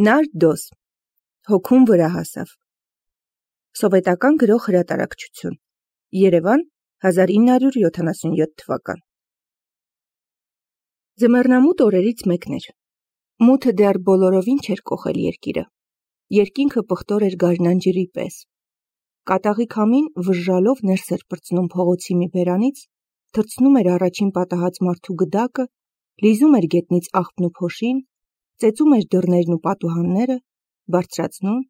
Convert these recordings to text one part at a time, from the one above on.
Նարդոս, հոգում վրա հասավ։ Սովետական գրող հրատարակչություն, Երևան, 1977 թվական։ Ձմեռնամութ օրերից մեկն էր։ Մութը դեռ բոլորովին չէր կոխել երկիրը։ Երկինքը պղտոր էր գարնանջրի պես։ Կատաղի քամին վժժալով ներս էր պրծնում փողոցի մի բերանից, թռցնում էր առաջին պատահած մարդու գդակը, լիզում էր գետնից աղբն ու փոշին, ծեծում էր դռներն ու պատուհանները, բարձրացնում,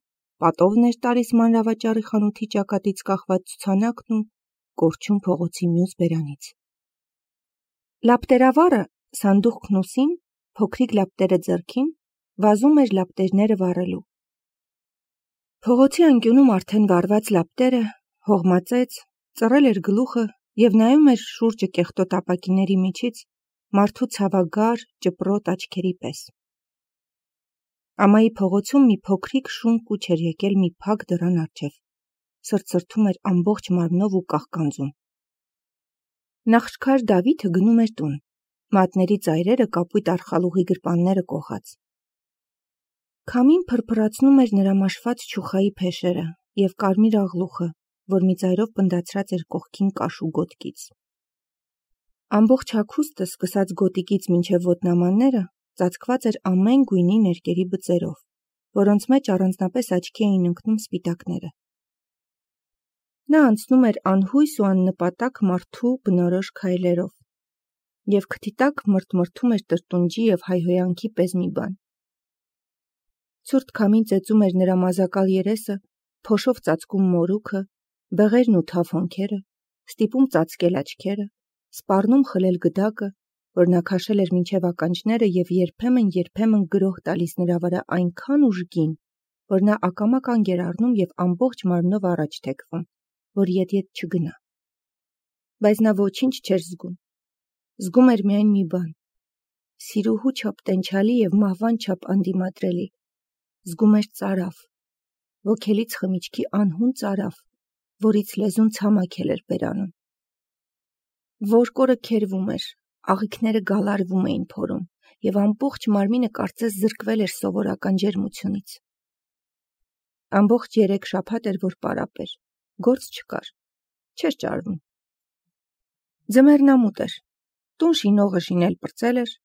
պատովն էր տալիս մանրավաճառի խանութի ճակատից կախված ցուցանակն ու կորչում փողոցի մյուս բերանից։ Լապտերավառը, սանդուղքն ուսին, փոքրիկ լապտերը ձեռքին, վազում էր լապտերները վառելու։ Փողոցի անկյունում արդեն վառված լապտերը, հողմածեց, ծռել էր գլուխը և նայում էր շուրջը կեղտոտ ապակիների միջից մարդու ցավագար, ճպրոտ աչքերի պես։ Ամայի փողոցում մի փոքրիկ շուն կուչ էր եկել մի փակ դռան առջև, սրտսրտում էր ամբողջ մարմնով ու կաղկանձում։ Նախշքար Դավիթը գնում էր տուն, մատների ծայրերը կապույտ արխալուղի գրպանները կոխած։ Քամին փրփրացնում էր նրա մաշված չուխայի փեշերը և կարմիր աղլուխը, որ մի ծայրով պնդացրած էր կողքին կաշու գոտկից։ Ամբողջ հագուստը, սկսած գոտիկից մինչև ոտնամանները, ծածկված էր ամեն գույնի ներկերի բծերով, որոնց մեջ առանձնապես աչքի էին ընկնում սպիտակները։ Նա անցնում էր անհույս ու աննպատակ մարդու բնորոշ քայլերով, և քթի տակ մրթմրթում էր տրտունջի և հայհոյանքի պես մի բան։ Ցուրտ քամին ծեծում էր նրա մազակալ երեսը, փոշով ծածկում մորուքը, բեղերն ու թավ հոնքերը, ստիպում ծածկել աչքերը, սպառնում խլել գդակը, որ նա քաշել էր մինչև ականջները և երբեմն գրոհ տալիս նրա վրա այնքան ուժգին, որ նա ակամա կանգ էր առնում և ամբողջ մարմնով առաջ թեքվում, որ ետ չգնա։ Բայց նա ոչինչ չէր զգում։ Զգում էր միայն մի բան՝ սիրուհու չափ տենչալի և մահվան չափ անդիմադրելի։ Զգում էր ծարավ, ոգելից խմիչքի անհուն ծարավ, որից լեզուն ցամաքել էր բերանում։ Որկորը քերվում էր, աղիքները գալարվում էին փորում, և ամբողջ մարմինը կարծես զրկվել էր սովորական ջերմությունից։ Ամբողջ 3 շաբաթ էր, որ պարապ էր, գործ չկար, չէր ճարվում։ Ձմեռնամութ էր, տուն շինողը շինել պրծել էր,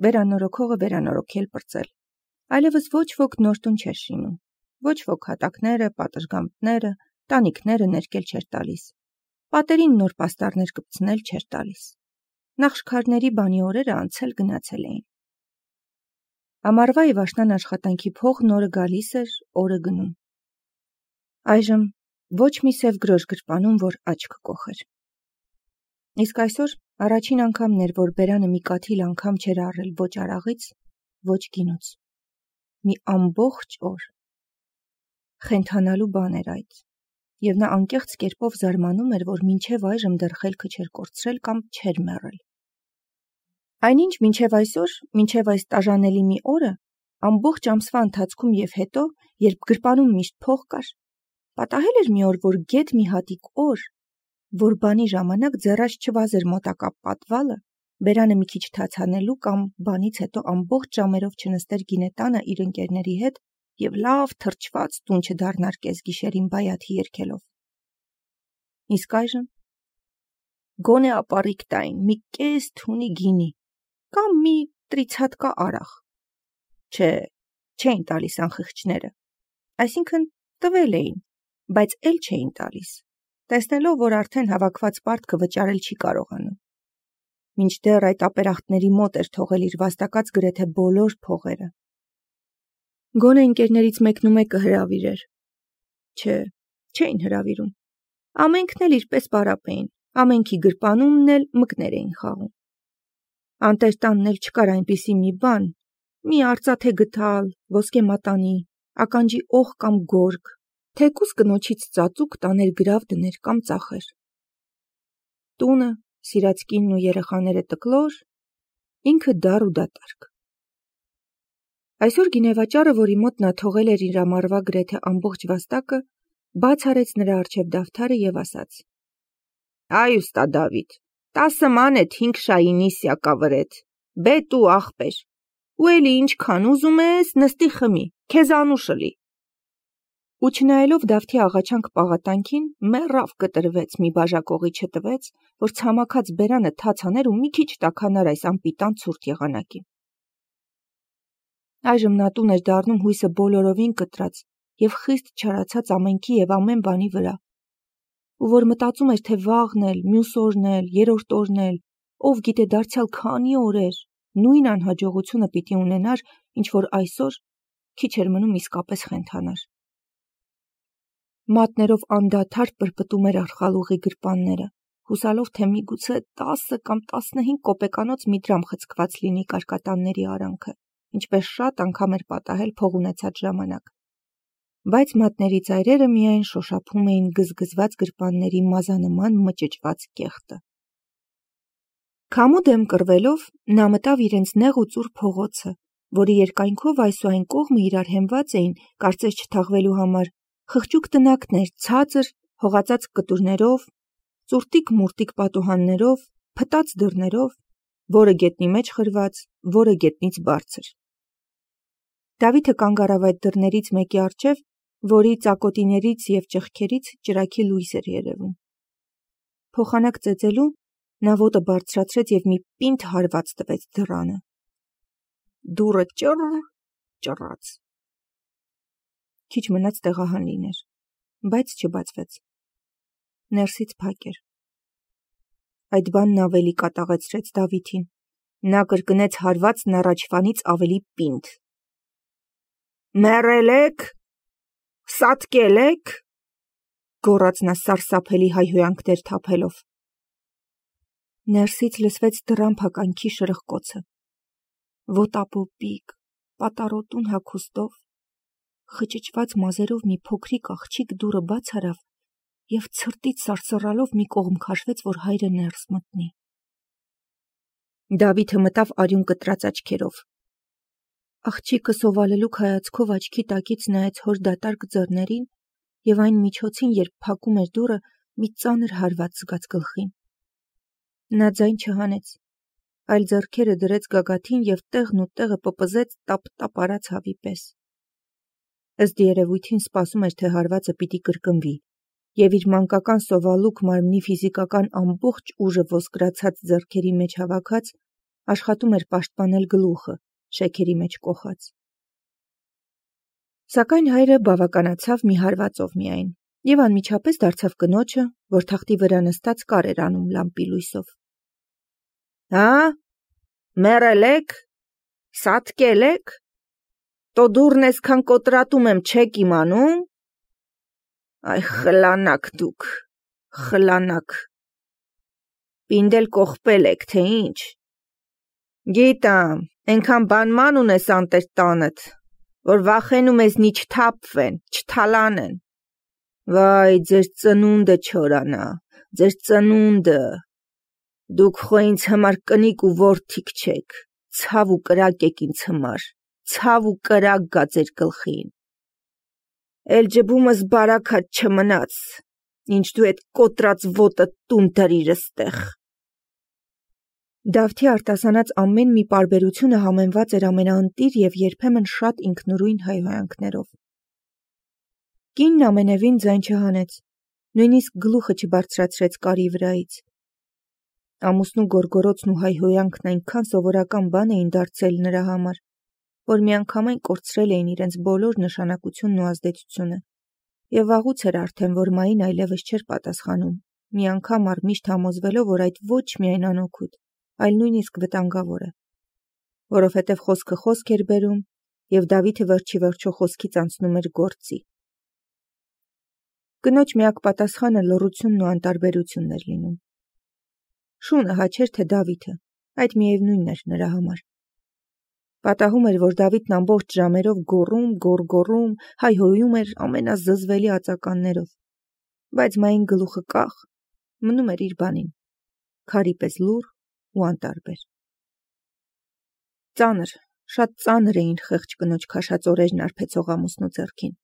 վերանորոգողը վերանորոգել պրծել, այլևս ոչ ոք նոր տուն չէր շինում, ոչ ոք հատակները, պատշգամբները, տանիքները ներկել չէր տալիս, պատերին նոր պաստառներ կպցնել չէր տալիս։ Նախշքարների բանի օրերը անցել գնացել էին։ Ամառվա և աշնան աշխատանքի փողն օրը գալիս էր, օրը գնում։ Այժմ ոչ մի սև գրոշ գրպանում, որ աչք կոխեր։ Իսկ այսօր առաջին անգամն էր, որ բերանը մի կաթիլ անգամ չէր առել ոչ արաղից, ոչ գինուց։ Մի ամբողջ օր։ Խենթանալու բան էր այդ, և նա անկեղծ կերպով զարմանում էր, որ մինչև այժմ դեռ խելքը չէր կորցրել կամ չէր մեռել։ Այնինչ մինչև այսօր, մինչև այս տաժանելի մի օրը, ամբողջ ամսվա ընթացքում և հետո, երբ գրպանում միշտ փող կար, պատահել էր մի օր, որ գեթ մի հատիկ օր, որ բանի ժամանակ ձեռաց չվազեր մոտակա պատվալը, բերանը մի քիչ թաց հանելու կամ բանից հետո ամբողջ ժամերով չնստեր գինետանը իր ընկերների հետ և լավ թրջված տուն չդառնար կեսգիշերին բայաթի երգելով։ Իսկ այժմ գոնե ապառիկ տային մի կես թունի գինի կամ մի տրիցհատկա արաղ։ Չէ, չէին տալիս անխիղճները, այսինքն տվել էին, բայց էլ չէին տալիս, տեսնելով, որ արդեն հավաքված պարտքը վճարել չի կարողանում։ Մինչդեռ այդ ապերախտների մոտ էր թողել իր վաստակած գրեթե բոլոր փողերը։ Գոնե ընկերներից մեկն ու մեկը հրավիրեր։ Չէ, չէին հրավիրում։ Ամենքն էլ իրպես պարապ էին, ամենքի գրպանումն էլ մկներ էին խաղում։ Անտեր տանն էլ չկար այնպիսի մի բան, մի արծաթե գդալ, ոսկե մատանի, ականջի օղ կամ գորգ, թեկուզ կնոջից ծածուկ տաներ գրավ դներ կամ ծախեր։ Տունը, սիրած կինն ու երեխաները տկլոր, ինքը դառ ու դատարկ։ Այսօր գինեվաճառը, որի մոտ նա թողել էր իր ամառվա գրեթե ամբողջ վաստակը, բաց արեց նրա առջև դավթարը և ասաց. «Այ ուստա Դավիթ, 10 մանեթ 5 շայինի սյակավրեթ, բետ ու աղբեր, ու էլի ինչքան ուզում ես, նստի խմի, քեզ անուշլի։ Ու չնայելով Դավթի աղաչանք պաղատանքին, մեռավ կտրվեց, մի բաժակողի չտվեց, որ ցամաքած բերանը թաց աներ ու մի քիչ տաքանար այս անպիտան ցուրտ եղանակին։ Այժմ նա տուն էր դառնում հույսը բոլորովին կտրած և խիստ չարացած ամենքի և ամեն բանի վրա, ու որ մտածում էր, թե վաղն էլ, մյուս օրն էլ, երրորդ օրն էլ, ով գիտե դարձյալ քանի օրեր, նույն անհաջողությունը պիտի ունենար, ինչ որ այսօր քիչ էր մնում իսկապես խենթանար։ Մատներով անդադար պրպտում էր արխալուղի գրպանները, հուսալով, թե միգուցե 10 կամ 15 կոպեկանոց մի դրամ խցկված լինի կարկատանների արանքը, ինչպես շատ անգամ էր պատահել փող ունեցած ժամանակ։ Բայց մատների ծայրերը միայն շոշափում էին գզգզված գրպանների մազանման մճճված կեղտը։ Քամու դեմ կռվելով նա մտավ իրենց նեղ ու ծուռ փողոցը, որի երկայնքով այս ու այն կողմը իրար հենված էին, կարծես չթաղվելու համար, խղճուկ տնակներ, ցածր, հողածած կտուրներով, ծուրտիկ-մուրտիկ պատուհաններով, փտած դռներով, որը գետնի մեջ խրված, որը գետնից բարձր։ Դավիթը կանգ առավ այդ դռներից մեկի առջև, որի ծակոտիներից և ճեղքերից ճրագի լույս էր երևում։ Փոխանակ ծեծելու նա ոտը բարձրացրեց և մի պինդ հարված տվեց դռանը։ Դուռը ճռ-ճռաց։ Քիչ մնաց տեղահան լիներ, բայց չբացվեց։ Ներսից փակ էր։ Այդ բանն ավելի կատաղեցրեց Դավիթին։ Նա կրկնեց հարվածն առաջվանից ավելի պինդ։ Մեռել եք, սատկել եք, գոռաց նա սարսափելի հայհոյանքներ թափելով։ Ներսից լսվեց դռան փականքի շրխկոցը։ Ոտապոպիկ, պատառոտուն հագուստով, խճճված մազերով մի փոքրիկ աղջիկ դուռը բաց արավ և ցրտից սարսռալով մի կողմ քաշվեց, որ հայրը ներս մտնի։ Դավիթը մտավ արյուն կտրած աչքերով։ Աղջիկը սովալելուկ հայացքով աչքի տակից նայեց հոր դատարկ ձեռներին և այն միջոցին, երբ փակում էր դուռը, մի ծանր հարված զգաց գլխին։ Նա ձայն չհանեց, այլ ձեռքերը դրեց գագաթին և տեղն ու տեղը պպզեց տապ-տապ արած հավի պես։ Ըստ երևույթին սպասում էր, թե հարվածը պիտի կրկնվի, և իր մանկական սովալուկ մարմնի ֆիզիկական ամբողջ ուժը ոսկրացած ձեռքերի մեջ հավաքած, աշխատում էր պաշտպանել գլուխը, շեքերի մեջ կոխած։ Սակայն հայրը բավականացավ մի հարվածով միայն, և անմիջապես դարձավ կնոջը, որ թախտի վրա նստած կար էր անում լամպի լույսով։ Հա, մեռել եք, սատկել եք, տո դուռն էսքան կոտրատում եմ, չեք իմանում։ Այ խլանաք դուք, խլանաք։ Պինդել կողպել եք, թե ինչ։ Գիտամ, ենքան բանման ունես անտեր տանդ, որ վախենում ես նի չթափվեն, չթալանեն։ Վայ, ձեր ծնունդը չորանա, ձեր ծնունդը։ Դուք խո ինձ համար կնիկ ու որդիք չեք, ցավ ու կրակ եք ինձ համար, ցավ ու կրակ գա ձեր գլխին։ Էլ ջբումս բարաքատ չմնաց, ինչ դու էդ կոտրած ոտը տուն դրիր ստեղ։ Դավթի արտասանած ամեն մի պարբերությունը համեմված էր ամենաընտիր և երբեմն շատ ինքնուրույն հայհոյանքներով։ Կինն ամենևին ձայն չհանեց, նույնիսկ գլուխը չբարձրացրեց կարի վրայից։ Ամուսնու գորգորոցն ու հայհոյանքն այնքան սովորական բան էին դարձել նրա համար, որ միանգամայն կորցրել էին իրենց բոլոր նշանակությունն ու ազդեցությունը, և վաղուց էր արդեն, որ Մային այլևս չէր պատասխանում, մի անգամ առմիշտ համոզվելով, որ այդ ոչ միայն անօգուտ, այլ նույնիսկ վտանգավոր է, որովհետև խոսքը խոսք էր բերում, և Դավիթը վերջի վերջո խոսքից անցնում էր գործի։ Կնոջ միակ պատասխանը լոռությունն ու անտարբերությունն էր լինում։ Շունը հաչեր, թե Դավիթը, այդ միևնույնն էր նրա համար։ Պատահում էր, որ Դավիթն ամբողջ ժամերով գոռում, գոռգոռում, հայհոյում էր ամենազզվելի ածականներով, բայց Մային գլուխը կախ, մնում էր իր բանին, քարի պես լուռ ու անտարբեր։ Ծանր, շատ ծանր էին խեղճ կնոջ քաշած օրերն արբեցող ամուսնու ձեռքին։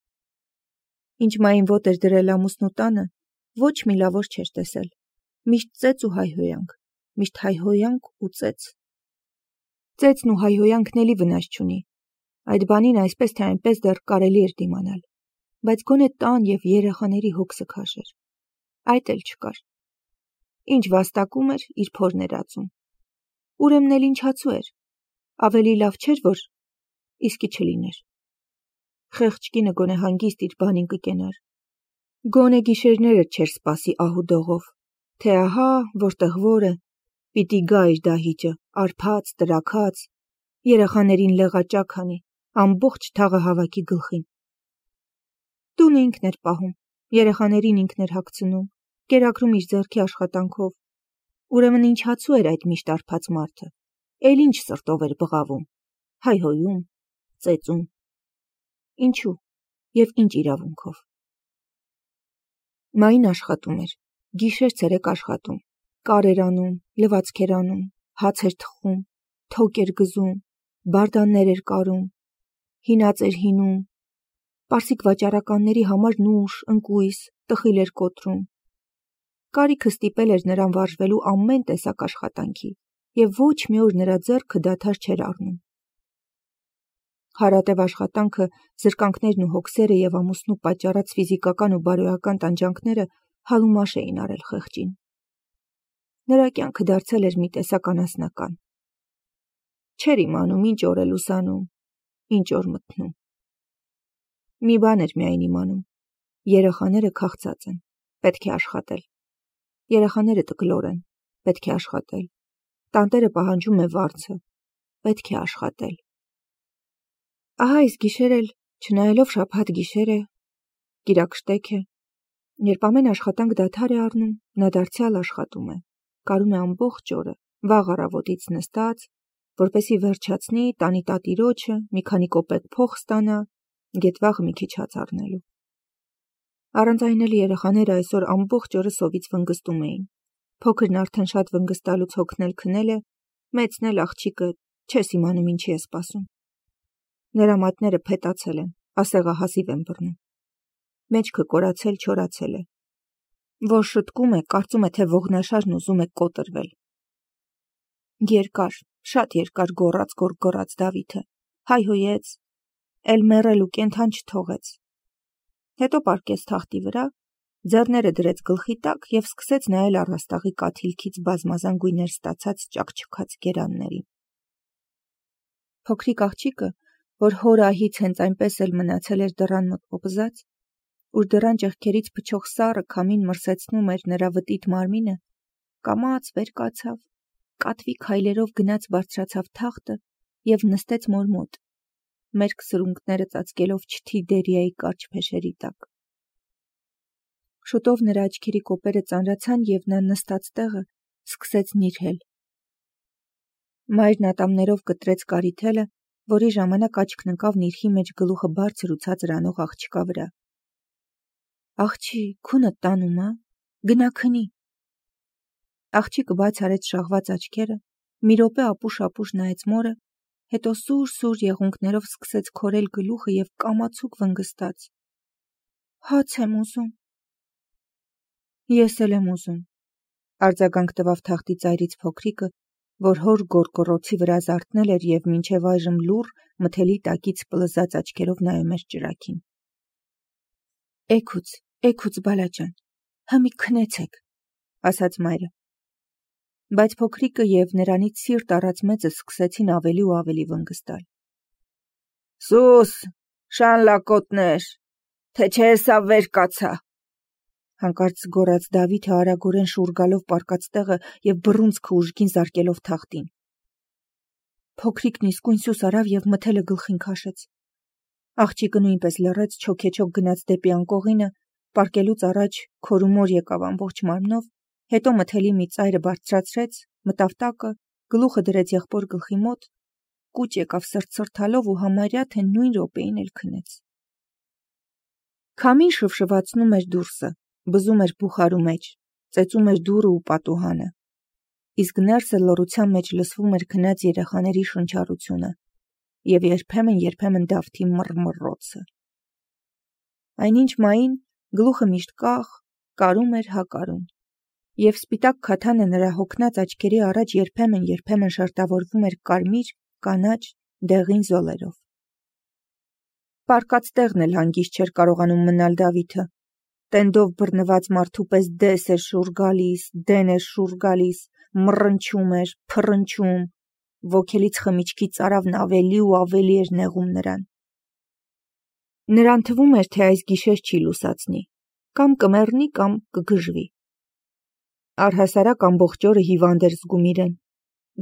Ինչ Մային ոտ էր դրել ամուսնու տանը, ոչ մի լավոր չէր տեսել, միշտ ծեծ ու հայհոյանք, միշտ հայհոյանք ու ծեծ։ Ծեծն ու հայհոյանքն էլի վնաս չունի։ Այդ բանին այսպես թե այնպես դեռ կարելի էր դիմանալ, բայց գոնե տան և երեխաների հոգսը քաշեր։ Այդ էլ չկար։ Ինչ վաստակում էր, իր փորն էր ածում։ Ուրեմն էլ ինչացու էր։ Ավելի լավ չէր, որ իսկի չլիներ։ Խեղճ կինը գոնե հանգիստ իր բանին կկենար։ Գոնե գիշերները չէր սպասի ահուդողով, թե ահա, որտեղ որը, պիտի գա իր դահիճը, արփած, տրաքած, երեխաներին լեղաճակ անի, ամբողջ թաղը հավաքի գլխին։ Տունը ինքն էր պահում, երեխաներին ինքն էր հագցնում, կերակրում իր ձեռքի աշխատանքով։ Ուրեմն ինչացու էր այդ միշտ արփած մարդը, էլ ինչ սրտով էր բղավում, հայհոյում, ծեծում։ Ինչու և ինչ իրավունքով։ Մային աշխատում էր, գիշեր-ցերեկ աշխատում, կար էր անում, լվացք էր անում, հաց էր թխում, թոկ էր գզում, բարդաններ էր կարում, հինած էր հինում, պարսիկ վաճառականների համար նուշ, ընկույզ, տխիլ էր կոտրում։ Կարիքը ստիպել էր նրան վարժվելու ամեն տեսակ աշխատանքի, և ոչ մի օր նրա ձեռքը դադար չէր առնում։ Հարատև աշխատանքը, զրկանքներն ու հոգսերը և ամուսնու պատճառած ֆիզիկական ու բարոյական տանջանքները հալումաշ էին արել խեղճին։ Նրա կյանքը դարձել էր մի տեսակ անասնական։ Չէր իմանում ինչ օր է լուսանում, ինչ օր մթնում։ Մի բան էր միայն իմանում. երեխաները քաղցած են, պետք է աշխատել։ Երեխաները տկլոր են, պետք է աշխատել։ Տանտերը պահանջում է վարձը, պետք է աշխատել։ Ահա այս գիշեր էլ, չնայելով շաբաթ գիշեր է, կիրակշտեք է, երբ ամեն աշխատանք դադար է առնում, նա դարձյալ աշխատում է, կարում է ամբողջ օրը, վաղ առավոտից նստած, որպեսզի վերջացնի, տանի տատիրոջը, մի քանի կոպեկ փող ստանա, գետվաղը մի քիչ հաց առնելու։ Առանց այն էլ երեխաները այսօր ամբողջ օրը սովից վնգստում էին։ Փոքրն արդեն շատ վնգստալուց հոգնել քնել է, մեծն էլ աղջիկը, չես իմանում ինչի է սպասում։ Նրա մատները փետացել են, ասեղը հազիվ են բռնում։ Մեջքը կորացել, չորացել է։ Որ շտկում է, կարծում է, թե ողնաշարն ուզում է կոտրվել։ Երկար, շատ երկար գոռաց Դավիթը, հայհոյեց, էլ մեռել ու կենդան չթողեց։ Հետո պառկեց թախտի վրա, ձեռները դրեց գլխի տակ և սկսեց նայել առաստաղի կաթիլքից բազմազան գույներ ստացած ճաքճքած գերաններին։ Փոքրիկ աղջիկը, որ հոր ահից հենց այնպես էլ մնացել էր դռան մոտ պոպզած, ուր դռան ճեղքերից փչող սառը քամին մրսեցնում էր նրա վտիտ մարմինը, կամաց վեր կացավ, կատվի քայլերով գնաց բարձրացավ թախտը և նստեց մոր մոտ, մերկ սրունքները ծածկելով չթի Դերիայի կարճ փեշերի տակ։ Շուտով նրա աչքերի կոպերը ծանրացան և նա նստած տեղը սկսեց նիրհել։ Մայրն ատամներով կտրեց կարիթելը, որի ժամանակ աչքն ընկավ նիրհի մեջ գլուխը բարձր ու ցածր անող աղջկա վրա։ Աղջի, քունդ տանում ա, գնա քնի։ Աղջիկը բաց արեց շաղված աչքերը, մի րոպե ապուշ-ապուշ նայեց մորը, հետո սուր-սուր եղունգներով սկսեց քորել գլուխը և կամացուկ վնգստաց. Հաց եմ ուզում։ Ես էլ եմ ուզում, արձագանք տվավ թախտի ծայրից փոքրիկը, որ հոր գոռգոռոցի վրա զարթնել էր և մինչև այժմ լուռ մթելի տակից պլզած աչքերով նայում էր ճրագին։ Էգուց բալաջան, հըմի քնեցեք, ասաց մայրը։ Բայց փոքրիկը և նրանից սիրտ առած մեծը սկսեցին ավելի ու ավելի վնգստալ։ Սուս, շան լակոտներ, թե չէ սա վեր կացա, հանկարծ գոռաց Դավիթը արագորեն շուռ գալով պառկած տեղը և բռունցքը ուժգին զարկելով թախտին։ Փոքրիկն իսկույն սուս արավ և մթելը գլխին քաշեց։ Աղջիկը նույնպես լռեց, չոքեչոք գնաց դեպի անկողինը, պառկելուց առաջ քորումոր եկավ ամբողջ մարմնով, հետո մթելի մի ծայրը բարձրացրեց, մտավ տակը, գլուխը դրեց եղբոր գլխի մոտ, կուչ եկավ սրտսրտալով ու համարյա թե նույն րոպեին էլ քնեց։ Քամին շվշվացնում էր դուրսը, բզում էր բուխարու մեջ, ծեծում էր դուռը ու պատուհանը, իսկ ներսը լռության մեջ լսվում էր քնած երեխաների շնչառությունը և երբեմն Դավթի մռմռոցը։ Այնինչ Մային գլուխը միշտ կախ, կարում էր հակարում, և սպիտակ քաթանը նրա հոգնած աչքերի առաջ երբեմն շերտավորվում էր կարմիր կանաչ, դեղին զոլերով։ Պարկած տեղն էլ հանգիստ չէր կարողանում մնալ Դավիթը։ Տենդով բռնված մարդու պես դես էր շուռ գալիս, դեն էր շուռ գալիս, մռնչում էր, փռնչում, ոգելից խմիչքի ծարավն ավելի ու ավելի էր նեղում նրան։ Նրան թվում էր, թե այս գիշեր չի լուսացնի, կամ կմեռնի, կամ կգժվի։ Առհասարակ ամբողջ օրը հիվանդ էր զգում իրեն։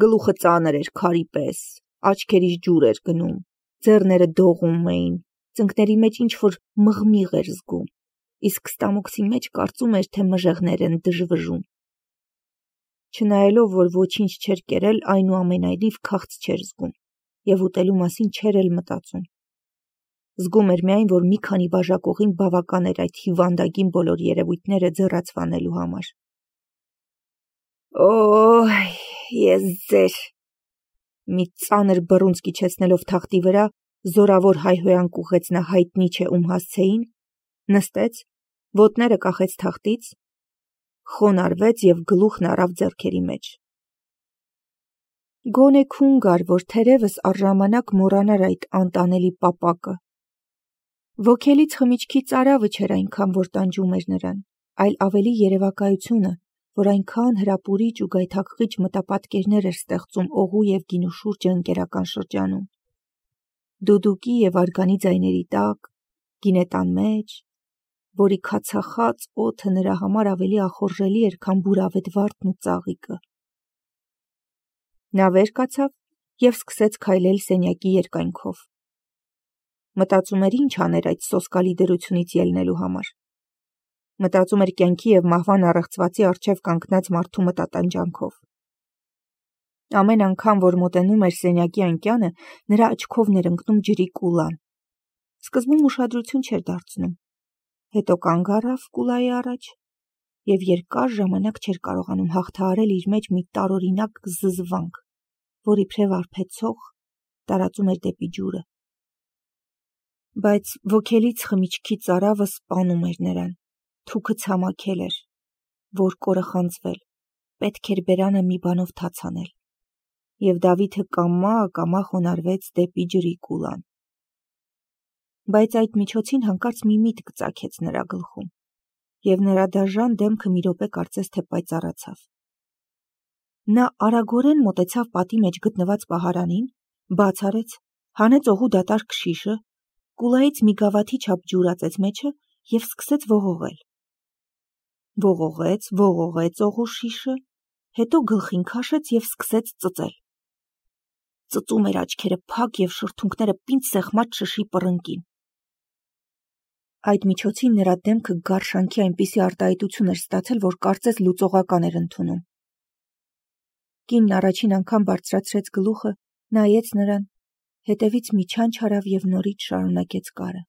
Գլուխը ծանր էր քարի պես, աչքերից ջուր էր գնում, ձեռները դողում էին, ծնկների մեջ ինչ-որ մղմիղ էր զգում, իսկ ստամոքսի մեջ կարծում էր, թե մժեղներ են դժվժում։ Չնայելով, որ ոչինչ չէր կերել, այնուամենայնիվ քաղց չէր զգում և ուտելու մասին չէր էլ մտածում։ Զգում էր միայն, որ մի քանի բաժակողին բավական էր այդ հիվանդագին բոլոր երևույթները ձեռացվանելու համար։ Օй, ես ձեր… Մի ծանր բռունց կիչեցնելով թախտի վրա, զորավոր հայհոյանք ուղղեց նա հայտնի չէ ում հասցեին, նստեց, ոտները կախեց թախտից, խոնարհվեց և գլուխն առավ ձեռքերի մեջ։ Գոնե քուն գար, որ թերևս առժամանակ մոռանար այդ անտանելի պապակը։ Ոգելից խմիչքի ծարավը չէր այնքան, որ տանջում էր նրան, այլ ավելի երևակայությունը, որ այնքան հրապուրիչ ու գայթակղիչ մտապատկերներ էր ստեղծում օղու և գինու շուրջը ընկերական շրջանում։ Դուդուկի և արգանի ձայների տակ, գինետան մեջ, որի քացախած օդը նրա համար ավելի ախորժելի էր, քան բուրավետ վարդն ու ծաղիկը։ Նա վեր կացավ և սկսեց քայլել սենյակի երկայնքով։ Մտածում էր ինչ աներ այդ սոսկալի դրությունից ելնելու համար։ Մտածում էր կյանքի և մահվան առեղծվածի առջև կանգնած մարդու մտատանջանքով։ Ամեն անգամ, որ մոտենում էր սենյակի անկյանը, նրա աչքովն էր ընկնում ջրի կուլան։ Սկզբում ուշադրություն չէր դարձնում, հետո կանգ առավ կուլայի առաջ և երկար ժամանակ չէր կարողանում հաղթահարել իր մեջ մի տարօրինակ զզվանք, որ իբրև արբեցող տարածում էր դեպի ջուրը։ Բայց ոգելից խմիչքի ծարավը սպանում էր նրան, թուքը ցամաքել էր, որկորը խանձվել, պետք էր բերանը մի բանով թաց անել, և Դավիթը կամա խոնարհվեց դեպի ջրի կուլան։ Բայց այդ միջոցին հանկարծ մի միտք ծագեց նրա գլխում, և նրա դաժան դեմքը մի րոպե կարծես թե պայծառացավ։ Նա արագորեն մոտեցավ պատի մեջ գտնված պահարանին, բաց արեց, հանեց օղու դատարկ շիշը, կուլայից մի գավաթի չափ ջուր ածեց մեջը և սկսեց ողողել։ Ողողեց օղու շիշը, հետո գլխին քաշեց և սկսեց ծծել։ Ծծում էր աչքերը փակ և շրթունքները պինդ սեղմած շշի պռնկին։ Այդ միջոցին նրա դեմքը գարշանքի այնպիսի արտահայտություն էր ստացել, որ կարծես լուծողական էր ընդունում։ Կինն առաջին անգամ բարձրացրեց գլուխը, նայեց նրան, հետևից մի չանչ արավ և նորից շարունակեց կարը։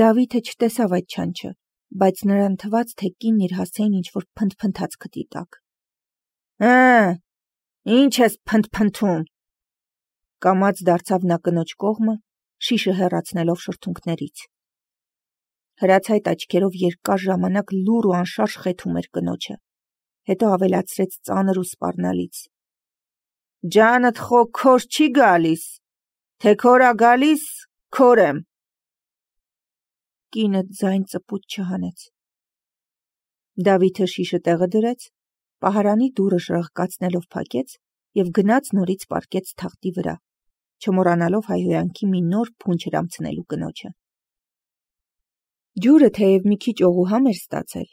Դավիթը չտեսավ այդ չանչը, բայց նրան թվաց, թե կինն իր հասցեին ինչ-որ փնթփնթաց քթի տակ։ Ինչ ես փնթփնթում, կամաց դարձավ նա կնոջ կողմը, շիշը հեռացնելով շրթունքներից։ Հրացայտ աչքերով երկար ժամանակ լուռ ու անշարժ խեթում էր կնոջը, հետո ավելացրեց ծանր ու սպառնալից. Ջանդ խո քոր չի գալիս, թե քոր ա գալիս, քոր եմ։ Կինը ձայն ծպուտ չհանեց։ Դավիթը շիշը տեղը դրեց, պահարանի դուռը շրխկացնելով փակեց և գնաց նորից պառկեց թախտի վրա, չմոռանալով հայհոյանքի մի նոր փունջ հրամցնելու կնոջը։ Ջուրը թեև մի քիչ օղուհամ էր ստացել,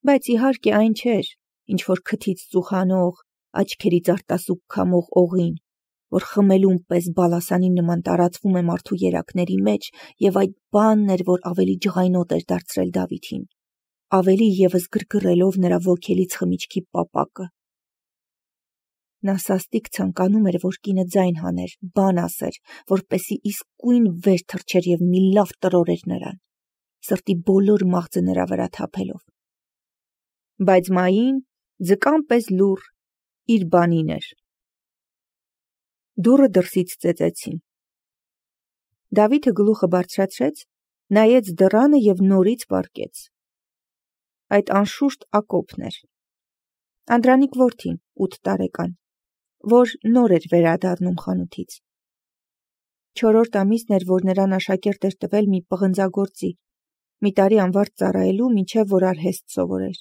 բայց իհարկե այն չէր, ինչ որ քթից ծուխանող, աչքերից արտասուք քամող օղին, որ խմելուն պես բալասանի նման տարածվում է մարդու երակների մեջ, և այդ բանն էր, որ ավելի ջղայնոտ էր դարձրել Դավիթին, ավելի ևս գրգռելով նրա ոգելից խմիչքի պապակը։ Նա սաստիկ ցանկանում էր, որ կինը ձայն հաներ, բան ասեր, որպեսզի իսկույն վեր թռչեր և մի լավ տրորեր նրան, սրտի բոլոր մաղձը նրա վրա թափելով։ Բայց Մային ձկան պես լուռ իր բանին էր։ Դուռը դրսից ծեծեցին։ Դավիթը գլուխը բարձրացրեց, նայեց դռանը և նորից պառկեց։ Այդ անշուշտ Ակոբն էր։ Անդրանիկ որդին, 8 տարեկան, որ նոր էր վերադառնում խանութից։ 4-րդ ամիսն էր, որ նրան աշակերտ էր տվել մի պղնձագործի, մի տարի անվարտ ծառայելու, մինչև որ արհեստ սովորեր։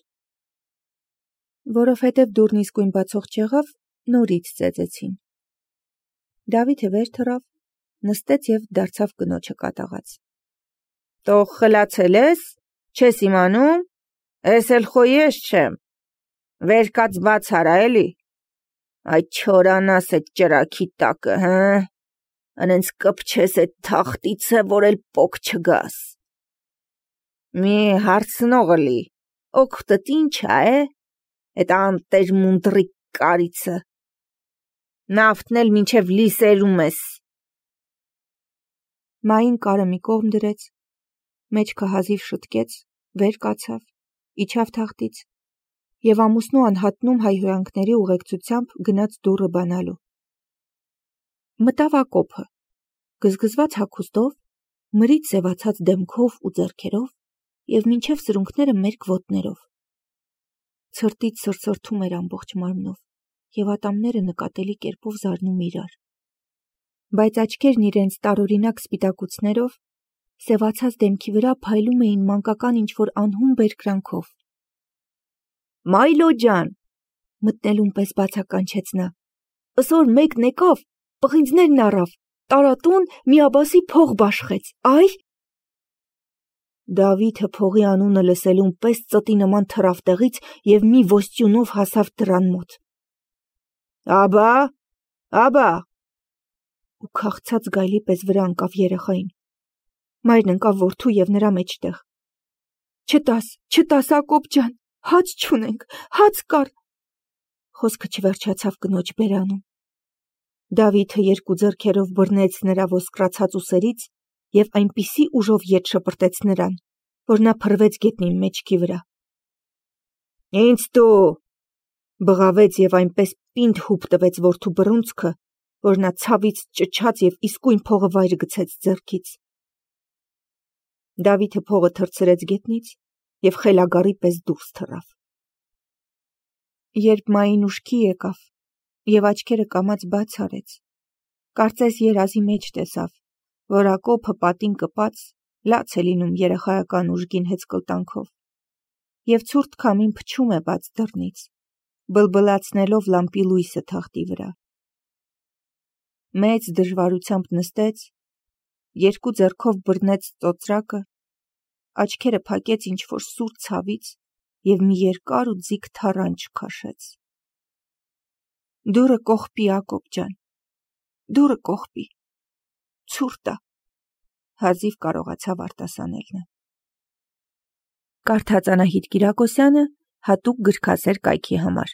Որովհետև դուռն իսկույն բացող չեղավ, նորից ծեծեցին։ Դավիթը վեր թռավ, նստեց և դարձավ կնոջը կատաղած։ «Տող խլացել ես, չես իմանում, ես էլ խո ես չեմ, վեր կաց բաց արա էլի, այդ չորանաս էդ ճրագի տակը, հը, ընենց կպչես էդ թախտիցը, որ էլ պոկ չգաս։ Մի հարցնող լի, օգտդ ինչ ա, էդ անտեր մունդրիկ կարիցը, նավթն էլ մինչև լիսերում ես»։ Մային կարը մի կողմ դրեց, մեջքը հազիվ շտկեց, վեր կացավ, իջավ թախտից և ամուսնու անհատնում հայհոյանքների ուղեկցությամբ գնաց դուռը բանալու։ Մտավ ակոփը, գզգզված հագուստով, մրից սևացած դեմքով ու ձեռքերով և մինչև սրունքները մերկ ոտներով։ Ցրտից սրսրթում էր ամբողջ մարմնով և ատամները նկատելի կերպով զարնում իրար։ Բայց աչքերն իրենց տարօրինակ սպիտակուցներով սևացած դեմքի վրա փայլում էին մանկական ինչ-որ անհուն բերկրանքով։ «Մայլո ջան», մտնելուն պես բացականչեց նա, «ըսօր մեկն եկավ, պղինձներն առավ, տարատուն միաբասի փող բաշխեց, այ»։ Դավիթը փողի անունը լսելուն պես ծտի նման թռավ տեղից և մի ոստյունով հասավ դռան մոտ։ «Աբա», ու քաղցած գայլի պես վրա ընկավ երեխային։ Մայրն ընկավ որդու և նրա մեջտեղ։ «Չտաս, Ակոբ ջան, հաց չունենք, հաց կար»։ Խոսքը չվերջացավ կնոջ բերանում։ Դավիթը երկու ձեռքերով բռնեց նրա ոսկրացած ուսերից և այնպիսի ուժով ետ շպրտեց նրան, որ նա փռվեց գետնին մեջքի վրա։ «Ինձ տու», բղավեց և այնպես պինդ հուպ տվեց որդու բռունցքը, որ նա ցավից ճչաց և իսկույն փողը վայր գցեց ձեռքից։ Դավիթը փողը թռցրեց գետնից և խելագարի պես դուրս թռավ։ Երբ Մային ուշքի եկավ և աչքերը կամաց բաց արեց, կարծես երազի մեջ տեսավ, որ Ակոփը պատին կպած լաց է լինում երեխայական ուժգին հեծկլտանքով և ցուրտ քամին փչում է բաց դռնից, բլբլացնելով լամպի լույսը թախտի վրա։ Մեծ դժվարությամբ նստեց, երկու ձեռքով բռնեց ծոծրակը, աչքերը փակեց ինչ-որ սուր ցավից և մի երկար ու ձիգ թառանչ քաշեց։ «Դուռը կողպի, Ակոբ ջան, դուռը կողպի, ցուրտ ա», հազիվ կարողացավ արտասանել նա։ Կարդաց Անահիտ Կիրակոսյանը հատուկ գրքասեր կայքի համար։